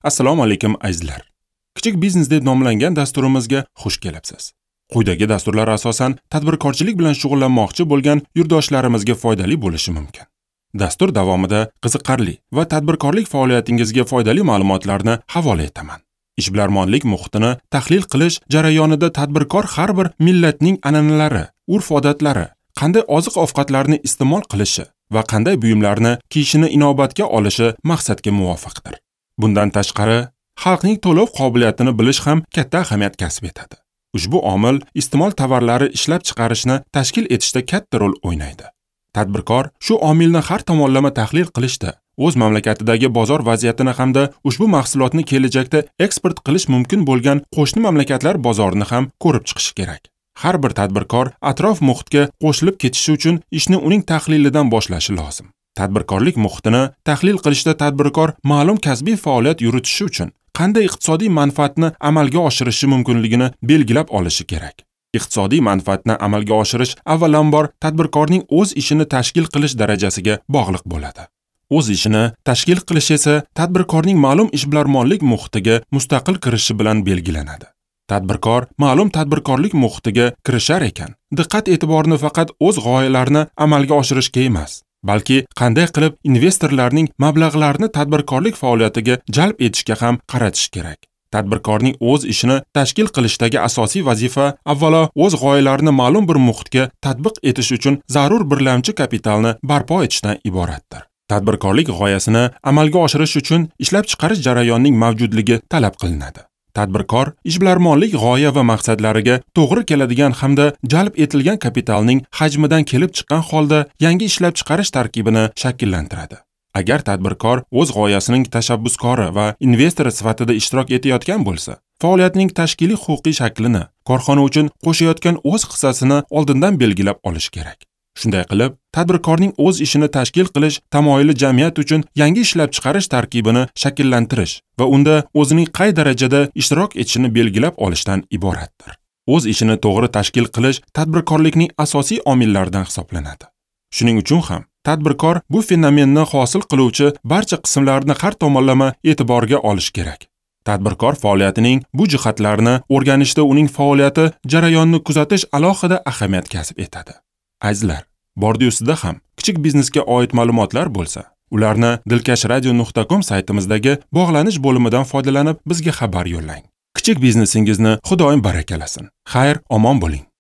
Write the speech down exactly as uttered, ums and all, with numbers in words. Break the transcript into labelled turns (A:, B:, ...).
A: Assalomu alaykum azizlar. Kichik biznes deb nomlangan dasturimizga xush kelibsiz. Quyidagi dasturlar asosan tadbirkorchilik bilan shug'ullanmoqchi bo'lgan yurtdoshlarimizga foydali bo'lishi mumkin. Dastur davomida qiziqarli va tadbirkorlik faoliyatingizga foydali ma'lumotlarni havola etaman. Ishbilarmonlik muhitini tahlil qilish jarayonida tadbirkor har bir millatning an'analari, urf-odatlari, qanday oziq-ovqatlarni iste'mol qilishi va qanday buyumlarni kiyishini inobatga olishi maqsadga muvofiqdir. Bundan tashqari, xalqning to'lov qobiliyatini bilish ham katta ahamiyat kasb etadi. Ushbu omil iste'mol tovarlari ishlab chiqarishni tashkil etishda katta rol o'ynaydi. Tadbirkor shu omilni har tomonlama tahlil qilishda, o'z mamlakatidagi bozor vaziyatini hamda ushbu mahsulotni kelajakda eksport qilish mumkin bo'lgan qo'shni mamlakatlar bozorini ham ko'rib chiqishi kerak. Har bir tadbirkor atrof muhitga qo'shilib ketishi uchun ishni uning tahlilidan boshlashi lozim. Tadbirkorlik muhitini tahlil qilishda tadbirkor ma'lum kasbiy faoliyat yuritishi uchun qanday iqtisodiy manfaatni amalga oshirishi mumkinligini belgilab olishi kerak. Iqtisodiy manfaatni amalga oshirish avvalambor tadbirkorning o'z ishini tashkil qilish darajasiga bog'liq bo'ladi. O'z ishini tashkil qilish esa tadbirkorning ma'lum ishbilarmonlik muhitiga mustaqil kirishi bilan belgilanadi. Tadbirkor ma'lum tadbirkorlik muhitiga kirishar ekan, diqqat-e'tiborni faqat o'z g'oyalarini amalga oshirishga emas, balki qanday qilib investorlarning mablag'larini tadbirkorlik faoliyatiga jalb etishga ham qaratish kerak. Tadbirkorning o'z ishini tashkil qilishdagi asosiy vazifa avvalo o'z g'oyalarini ma'lum bir muhitga tatbiq etish uchun zarur birlamchi kapitalni barpo etishdan iboratdir. Tadbirkorlik g'oyasini amalga oshirish uchun ishlab chiqarish jarayonining mavjudligi talab qilinadi. Tadbirkor ishbilarmonlik g'oya va maqsadlariga to'g'ri keladigan hamda jalb etilgan kapitalning hajmidan kelib chiqqan holda yangi ishlab chiqarish tarkibini shakllantiradi. Agar tadbirkor o'z g'oyasining tashabbuskori va investori sifatida ishtirok etayotgan bo'lsa, faoliyatining tashkiliy huquqiy shaklini, korxona uchun qo'shayotgan o'z hissasini oldindan belgilab olish kerak. Shunday qilib, tadbirkorning o'z ishini tashkil qilish tamoyili jamiyat uchun yangi ishlab chiqarish tarkibini shakllantirish va unda o'zining qay darajada ishtirok etishini belgilab olishdan iboratdir. O'z ishini to'g'ri tashkil qilish tadbirkorlikning asosiy omillaridan hisoblanadi. Shuning uchun ham tadbirkor bu fenomenni hosil qiluvchi barcha qismlarni har tomonlama e'tiborga olish kerak. Tadbirkor faoliyatining bu jihatlarini o'rganishda uning faoliyati jarayonini kuzatish alohida ahamiyat kasb etadi. Azizlar, bordi-ustida ham kichik biznesga oid ma'lumotlar bo'lsa, ularni dilkash radio nuqta com saytimizdagi bog'lanish bo'limidan foydalanib bizga xabar yo'llang. Kichik biznesingizni Xudoyim barakalasin. Xayr, omon bo'ling.